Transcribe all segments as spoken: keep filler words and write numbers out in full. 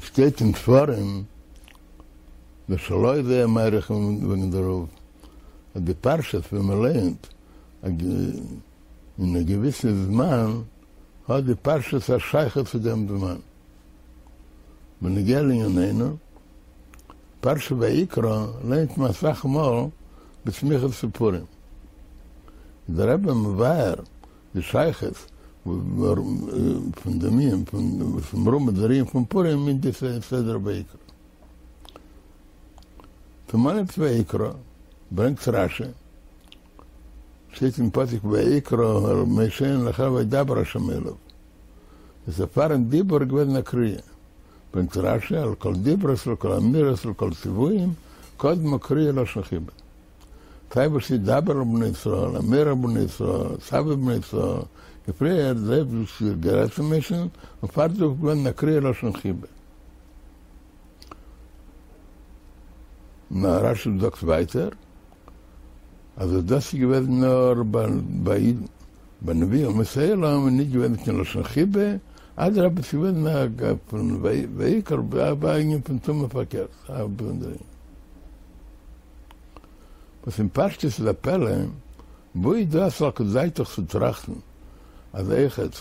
שטייט אין ספרים, דער של ה איז זייער מאריך וועגן דערויף, אז די פרשיות ווען מען לייענט אין א געוויסע זמן, האט די פרשיות א שייכות צו דעם זמן. בנוגע לענינינו, פרשת ויקרא לייענט מען אסאך מאל בסמיכות צו פורים. איז דער רבי מבאר די שייכות פון דעם ענין פון וואס מרומז דער ענין פון פורים אין די סדרה ויקרא. צום אנהייב ויקרא ברענגט רשי, שטייט אין פסוק ויקרא אל משה אל אחיו וידבר השם אליו. איז פארן דיבור געוועזן א קריאה. ברענגט רשי על כל דיברות על כל אמירות על כל ציוויים קדמה קריאה לשון חיבה. סיי וואס איז דבר אל בני ישראל, אמור אל בני ישראל, צו בני ישראל, איז פריער דער אויבערשטער האט גערעדט צו משה'ן, און פאר דעם איז געווען א קריאה לשון חיבה. נאר רשי זאגט ווייטער אז דאס איז געוועזן נאר ביי אידן, ביי נביאי אומות העולם איז נישט געוועזן קיין לשון חיבה, אדרבה ס'איז געוועזן א פון ויקרא א ענין פון טומאה פארקערט, א באזונדערע ענין. וואס אין פשטות איז א פלא, וואו איז דא א סלקא דעתך צו טראכטן אז אויכעט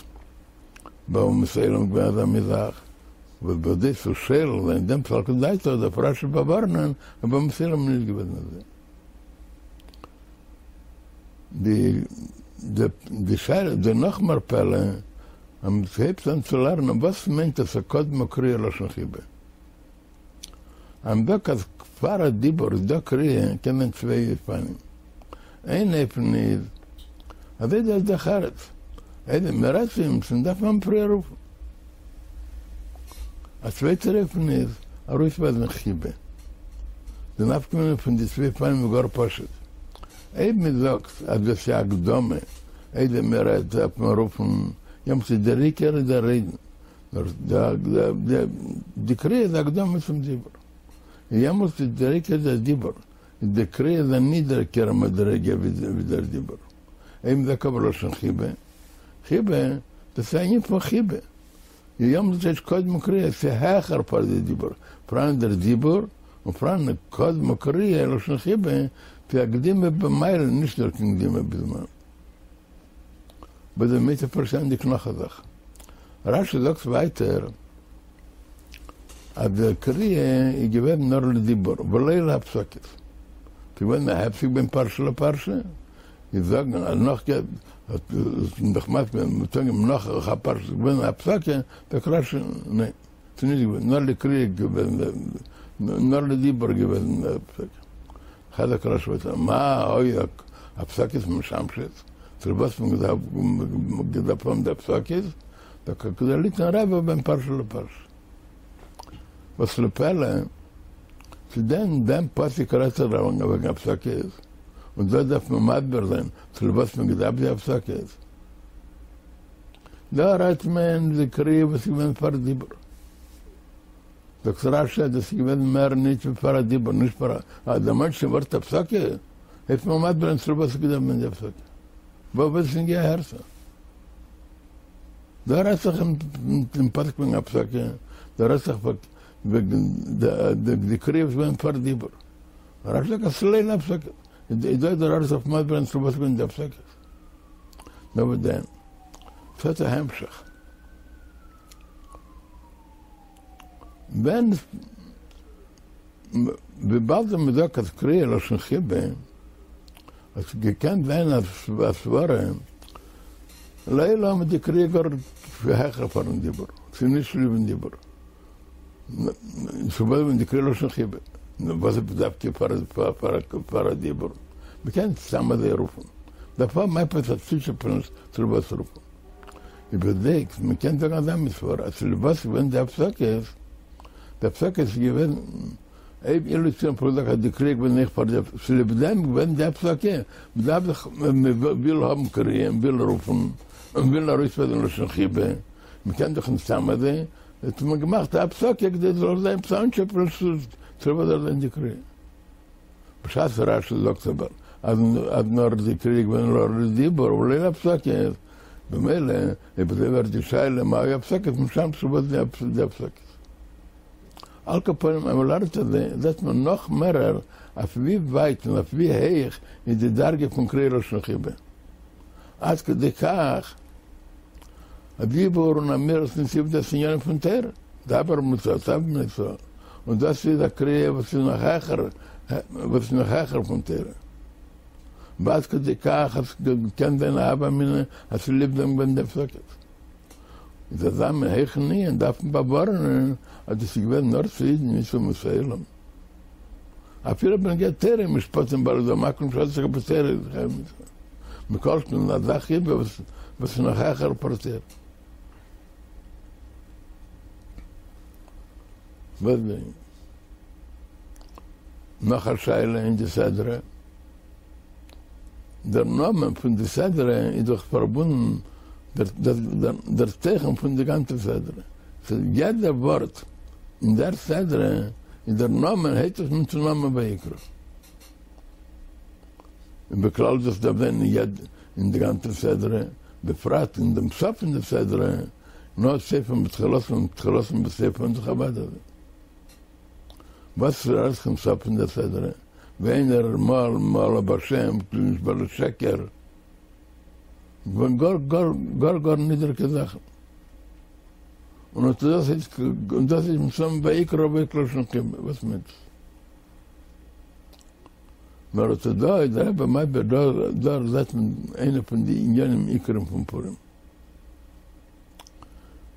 ביי אומות העולם געווען אזא מין זאך, וואס בכדי צו שולל זיין דעם סלקא דעתך דארף רשי באווארענען אז ביי אומות העולם איז נישט געוועזן אזוי. די די שאלה איז נאך מער פלא אז מען הייבט אן צו לערנען וואס מיינט עס א קדמה קריאה לשון חיבה. אז מ'זאגט אז פאר א דיבור איז דא קריאה קען זיין צוויי אופנים. איין אופן איז אזוי דער דרך ארץ, איידער מ'רעדט צו אים דארף מען פריער רופן. א צווייטער אופן איז ארויסווייזן חיבה. די נפקא מינה פון די צוויי אופנים איז גאר פשוט. אויב מ'זאגט אז דאס איז א הקדמה איידער מ'רעדט דארף מען רופן, יעמאלט איז דער עיקר איז דער רעדן. די קריאה איז הקדמה צום דיבור. און יעמאלטס איז דער עיקר דער דיבור, און די קריאה איז א נידעריגערע מדריגה ווי דער דיבור. אויב מ'זאגט אבער לשון חיבה, חיבה, דאס איז א ענין פון חיבה. און יעמאלטס איז קדמה קריאה, ס'איז העכער פאר די דיבור. פאראן דער דיבור, און פאראן קדמה קריאה, לשון חיבה, ס'איז א קדימה במעלה, נישט נאר קיין קדימה בזמן. בדערמיט איז פארשטענדיג נאך א זאך. רשי זאגט ווייטער אז די קריאה איז געווען נאר לדיבור ולא להפסקות. ס'איז געווען א הפסק בין פרשה לפרשה, איז זאגן אז נאך נאך נאך א פרשה איז געווען א הפסקה, זאגט רשי ניין. ס'איז נישט געווען, נאר לקריאה געווען, נאר לדיבור געווען הפסקה. זאגט רשי ווייטער, מה היו הפסקות משמשות, צו וואס האט מען געדארפט האבן די הפסקות, דוקא כדי ליתן רווח בין פרשה לפרשה. וואס לפלא, צו דען דעם פסוק רעדט זיך וועגן הפסקות, און דא דארף מען מסביר זיין צו וואס מען געדארפט די הפסקות. דא רעדט מען די קריאה וואס איז געווען פאר דיבור. זאגט רשי אז דאס איז געווען מער נישט ווי פאר א דיבור, נישט פאר א, אז דערמאנט שוין ווארט הפסקה, הייבט מען מסביר זיין צו וואס איז געווען די הפסקה. וואס איז נוגע הערצה? דא רעדט זיך אין פסוק וועגן הפסקה, דא רעדט זיך וועגן די קריאה וואס איז געווען פאר דיבור. רשי זאגט אז ס'איז לא להפסקה. איז דא דער ארץ אויף מסביר זיין צו וואס איז געווען די הפסקה. נאר וואס דען? ס'האט א המשך. ווען וויבאלד מען זאגט אז קריאה לשון חיבה, האט געקענט זיין א סברה לעולם איז די קריאה גאר העכער פארן דיבור, ס'איז נישט צוליבן דיבור. צו וואס ווען די קריאה לשון חיבה? נו וואס איז דווקא פאר א דיבור? מ'קען סתם אזוי רופן. דארף האבן עפעס א צוטשעפעניש צו וואס רופן. איבערדעקט, מ'קען זאגן אזא מין סברא אז צוליב וואס איז געווען די הפסקות, די הפסקות איז געווען אויב אילו צו האבן געזאגט אז די קריאה געווען אויך פאר די צוליב דעם געווען די הפסקה, מ'דארף זיך מ'וויל האבן קריאה, מ'וויל רופן, מ'וויל ארויסווייזן לשון חיבה, מ'קען דאך נישט סתם אזוי. האט מען געמאכט א הפסקה כדי ס'זאל זיין עפעס אנטשעפעניש צו וואס זאל זיין די קריאה. בשעת רשי זאגט אבער אז נאר די קריאה געווען נאר לדיבור ולא להפסקות, במילא אויב אזוי ווערט די שאלה מה היו הפסקות משמשות וואס די הפסקות. על כל פנים אז מ'לערנט אזוי זעט מען נאך מערער אויף ווי ווייט און אויף ווי הויך איז די דרגה פון קריאה לשון חיבה עד כדי כך אז דיבור און אמירת נתיב דאס עניינים פון תורה, דבר מצוה, צו מצוה, און דאס איז א קריאה וואס איז נאך העכער וואס איז נאך העכער פון תורה. ועד כדי כך אז ס'קען זיין א הוה אמינא אז צוליב דעם געווען די הפסקות. איז אזא מין הויכן ענין דארף מען באווארענען אז דאס איז געווען נאר צו אידן נישט צו אומות העולם. אפילו בנוגע תורה משפטים בעלי זהב מקום שעסק בתורה איז חייב מיתה. מכל שכן אזא חיבה וואס איז נאך העכער פאר תורה. וואס דען? נאך א שאלה אין די סדרה. דער נאמען פון די סדרה איז דאך פארבונדן דער תוכן פון די גאנצע סדרה. סאו יעדע ווארט אין דער סדרה איז דער נאמען הייבט זיך אן צו נאמען ויקרא. און בכלל דאס דארף זיין אין די גאנצע סדרה, בפרט אין דעם סוף פון די סדרה, נאר סופם בתחילתם און תחילתם בסופם דאך אוודאי אזוי. וואס רעדט זיך אין סוף פון דער סדרה, ווי איינער מעל מעלה בשם כלי נשבע לשקר, געווען גאר גאר גאר גאר נידריגע זאכן, און אט דאס איז און דאס איז מסתם ויקרא ויקרא לשון חיבה, וואס מיינט עס? נאר אט דא איז דער רבי מסביר דא דא זעט מען איינע פון די עניינים עיקרים פון פורים.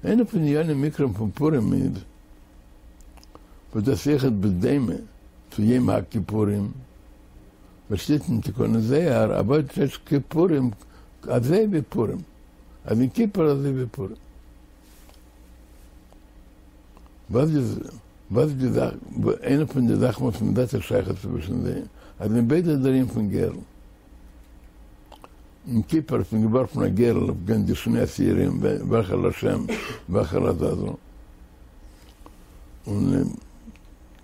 איינע פון די עניינים עיקרים פון פורים איז וואס דאס אויכעט בדומה צו יום הכיפורים, וואס שטייט אין תיקוני זוהר עבודת כפורים אזוי ווי פורים, אז אין כיפור אזוי ווי פורים. וואס איז וואס איז די זאך, איינע פון די זאכן וואס מען זעט א שייכות צווישן זיי, אז אין ביידע איז דער ענין פון גורל. אין כיפור האט מען געווארפן א גורל אויף גיין די שני שעירים וועלכער לשם וועלכער לעזאזל. און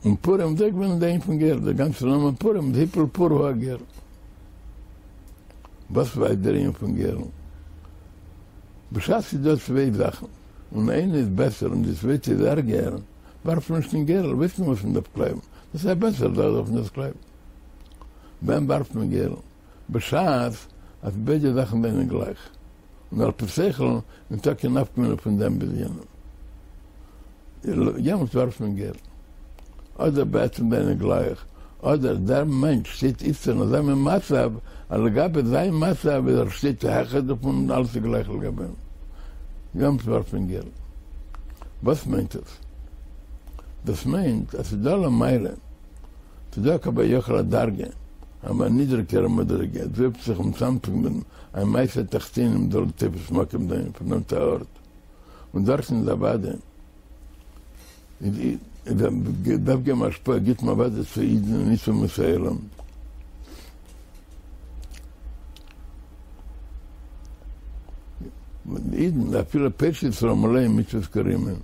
אין פורים איז אויך געווען דער ענין פון גורל, דער גאנצער נאמען פורים איז הפיל פור הוא הגורל. וואס ווייזט דער ענין פון גורל? בשעת ס'איז דא צוויי זאכן און איינע איז בעסער און די צווייטע איז ערגער, ווארפט מען נישט קיין גורל, ווייסט מען וואס מען דארף קלייבן, דאס איז א בעסערע זאך דארף מען דאס קלייבן. ווען ווארפט מען גורל? בשעת אז ביידע זאכן זענען גלייך, און על פי שכל ניטא קיין נפקא מינה פון דעם ביז יענעם, יעמאלט ווארפט מען גורל. אדער בעצם זענען גלייך, אדער דער מענטש שטייט איצטער אין אזא מין מצב אז לגבי זיין מצב איז ער שטייט העכער דערפון און אלעס איז גלייך לגבי אים. יעמאלט ווארפט מען גורל. וואס מיינט עס? דאס מיינט אז ס'איז דא למעלה, ס'איז דא כביכול א דרגה, א נידריגערע מדריגה, עס ווירקט זיך מצמצם ווען א מעשה תחתונים זאל תופס מקום זיין פארנעמט א ארט, און דארטן איז אוודאי איז דארף געבן השפעה גיט מען אוודאי צו אידן און נישט צו אומות העולם. אידן אפילו פושעי ישראל מלאים מצוות כרימון,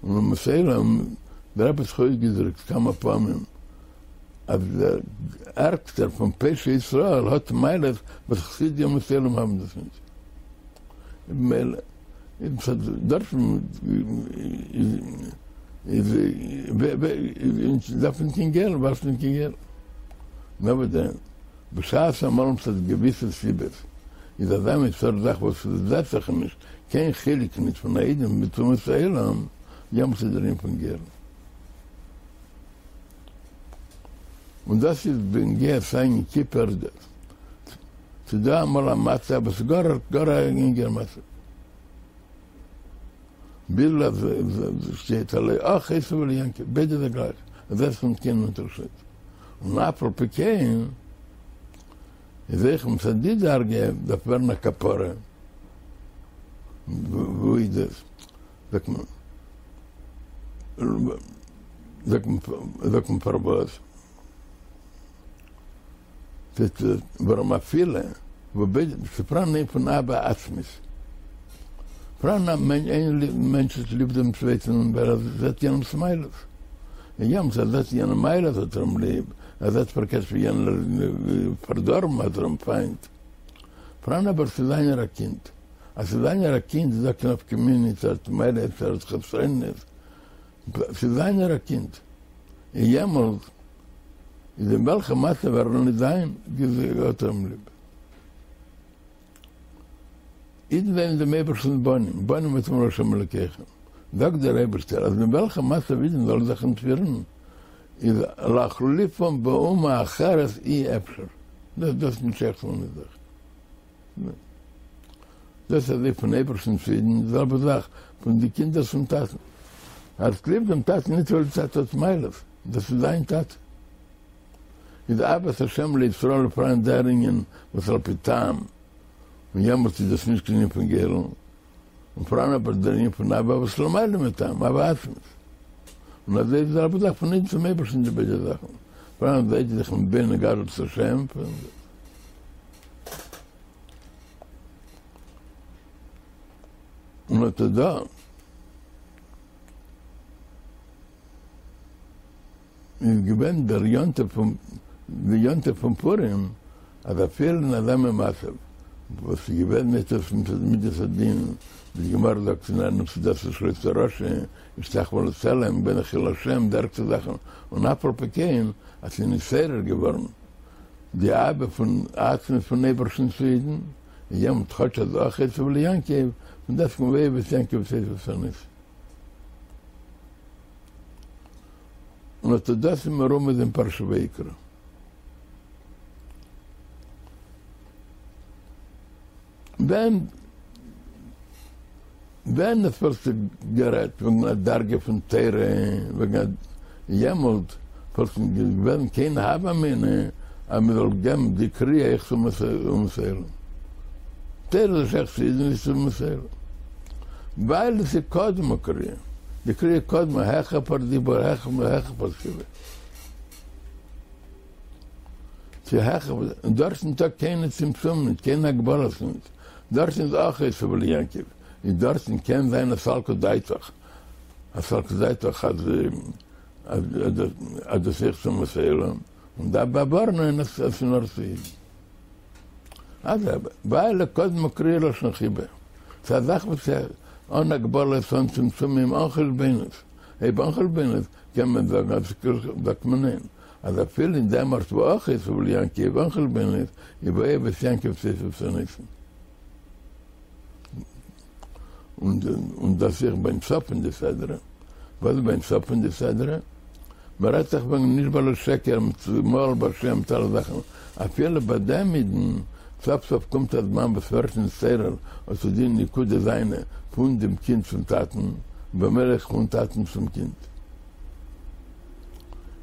און אומות העולם, דער רבי האט זיך אויסגעדרוקט כמה פעמים אז דער ערגסטער פון פושעי ישראל האט מעלות וואס חסידי אומות העולם האבן דאס נישט. במילא איז דארטן איז דארף נישט קיין גורל, ווארפט נישט קיין גורל. נאר וואס דען, בשעת אמאל מצד געוויסע סיבות איז אזא מין סארט זאך וואס זעט זיך נישט קיין חילוק נישט פון א איד מיט אומות העולם, יעמאלט איז דער ענין פון גורל. און דאס איז בנוגע סיי אין כיפור, ס'איז דא אמאל א מצב וואס איז גאר גאר א ענגער מצב, ביז אז שטייט הלא אח עשו וליעקב, ביידע זענען גלייך, עס זעט זיך נישט קיין אונטערשיד, און אף על פי כן איז אויך מצד די דרגה דארף ווערן א כפרה, וואו איז דאס? זאגט מען, זאגט מען, זאגט מען פארוואס? ווארום אפילו וואו ס'פאראן אן ענין פון אהבה עצמית, פאראן א איין מענטש האט ליב דעם צווייטן ווייל ער זעט יענעמ'ס מעלות, און יעמאלט ער זעט יענעם מעלות האט ער אים ליב, ער זעט פארקערט ווי יענער איז פארדארבן האט ער אים פיינט. פאראן אבער ס'איז זיינער א קינד. אז ס'איז זיינער א קינד איז דא קיין נפקא מינה צו ער האט מעלות צו ער האט חסרונות, ס'איז זיינער א קינד, און יעמאלט איז אין וועלכע מצב ער זאל נישט זיין, האט ער אים ליב. אידן זענען דעם אייבערשטנ'ס בנים, בנים אתם לה' אלוקיכם. זאגט דער אייבערשטער אז אין וועלכע מצב אידן זאלן זיך נישט פירן, איז להחליפם באומה אחרת אי אפשר. דאס דאס איז נישט שייך צו אונזער זאך. דאס איז אזוי פון אייבערשטן צו אידן, די זעלבע זאך פון די קינדער צום טאטן. ער האט ליב דעם טאטן נישט ווייל די טאטע האט מעלות, דאס איז זיין טאטע. איז אהבת השם לישראל פאראן דער ענין וואס על פי טעם, און יעמאלטס איז דאס נישט קיין ענין פון גורל, און פאראן אבער דער ענין פון אהבה וואס למעלה מטעם, אהבה עצמית. און אזוי איז די זעלבע זאך פון אידן צום אייבערשטן די ביידע זאכן, פאראן זיי זיך מתבונן גדלות השם, און אט דא איז געווען דער יום טוב פון די יום טוב פון פורים, אז אפילו אין אזא מין מצב וואס איז געווען מיט מידת הדין, ווי די גמרא זאגט אין ענין סעודתו של אותו רשע, השתחוה לצלם, געווען חילול השם, די ערגסטע זאכן, און אף על פי כן אז ס'איז נתעורר געווארן די אהבה פון עצמית פון אייבערשטן צו אידן, און יעמאלט כאטש אז אח עשו ליעקב, פון דעסטוועגן ואוהב את יעקב ואת עשו שנאתי. און אט דאס איז מרומז אין פרשת ויקרא. ווען ווען עס וואלט זיך גערעדט וועגן א דרגה פון תורה, וועגן א יעמאלט וואלט נישט געווען קיין הוה אמינא אז מען זאל געבן די קריאה אויך צו אומות העולם. תורה איז שייך צו אידן נישט צו אומות העולם. ווייל עס איז קדמה קריאה, די קריאה קדמה העכער פאר דיבור העכער פאר כתיבה. ס'איז העכער, און דארט איז ניטא קיינע צמצומים ניט, קיינע הגבלות ניט, דארטן איז אח עשו ליעקב, איז דארטן קען זיין א סלקא דעתך, א סלקא דעתך אז אז דאס אויך צו אומות העולם, און דארף באווארענען אז ס'איז נאר צו אידן. אדרבה, ווייל קדמה קריאה לשון חיבה, ס'איז א זאך וואס איז אן הגבלות, אן צמצומים, אן חשבונות, אויב אן חשבונות קען מען זאגן אז זאגט מען ניין, אז אפילו אין דעם ארט וואו אח עשו ליעקב אן חשבונות, איז ואוהב את יעקב ואת עשו שנאתי. און דאס אויך ביים סוף פון די סדרה. וואס איז ביים סוף פון די סדרה? מען רעדט דאך וועגן נשבע לשקר מיט מעל בהשם מיט אלע זאכן, אפילו ביי דעם אידן, סוף סוף קומט א זמן וואס ווערט נתעורר אט די נקודה זיינע פון דעם קינד צום טאטן, ובמילא אויך פון טאטן צום קינד.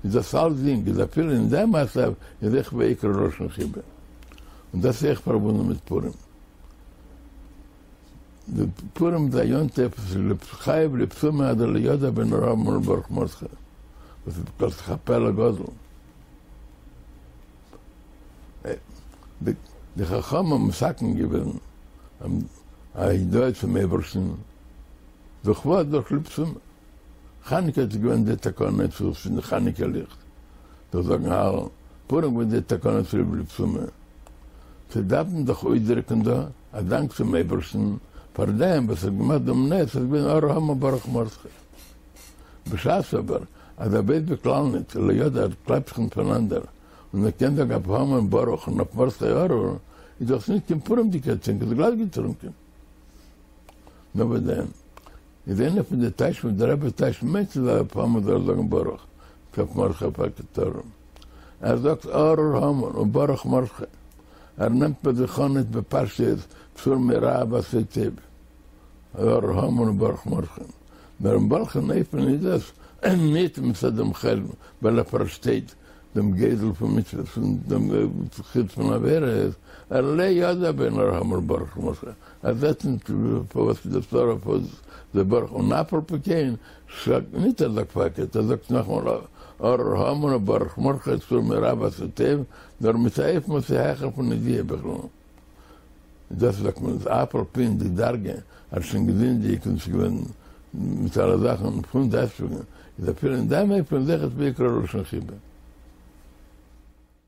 איז דאס אלצדינג איז אפילו אין דעם מצב איז אויך ויקרא לשון חיבה. און דאס איז אויך פארבונדן מיט פורים. די פורים איז א יום טוב וואס איז חייב לבסומי עד דלא ידע בין ארור המן לברוך מרדכי, וואס איז דאך א פלא גדול. די חכמים האבן מתקן געווען א הודאה צום אייבערשטן דורך וואס? דורך לבסומי. חנוכה איז געווען די תקנה צו צינדן חנוכה ליכט דורך זאגן הלל, פורים געווען די תקנה צוליב לבסומי. ס'דארף מען דאך אויסדריקן דא א דאנק צום אייבערשטן פאר דעם וואס האט געמאכט דעם נס אז געווען ארור המן ברוך מרדכי. בשעת אבער אז ער ווייסט בכלל ניט, לא ידע, ער קלייבט זיך ניט פונאנדער, און ער קען זאגן אויף המן ברוך און אויף מרדכי ארור, איז דאך ניט קיין פורימ'דיגער טרינק, איז גלאט געטרונקען. נאר וואס דען? איז איינער פון די טייטשן וואס דער רבי טייטשט מיינט צו זאגן אויף המן זאל ער זאגן ברוך, צו אויף מרדכי פארקערט ארור. ער זאגט ארור המן און ברוך מרדכי. ער נעמט ביי זיך אן ניט בפשטות סור מרע ועשה טוב. ארור המן און ברוך מרדכי. נאר אין וועלכן אופן איז דאס ניט מצד דעם חשבון ווייל ער פארשטייט דעם גודל פון מצוות און דעם חוץ פון עבירות, ער לא ידע בין ארור המן לברוך מרדכי, ער זעט ניט פארוואס איז דאס ארור פארוואס איז דאס ברוך, און אף על פי כן זאגט ניט ער זאגט פארקערט, ער זאגט נאכאמאל ארור המן וברוך מרדכי סור מרע ועשה טוב, נאר מיט א אופן וואס איז העכער פון ידיעה בכלל. דאס זאגט מען אז אף על פי אין די דרגה האט שוין געזינדיגט און ס'איז געווען מיט אלע זאכן פון דעסטוועגן איז אפילו אין דעם אופן אויכעט ויקרא לשון חיבה.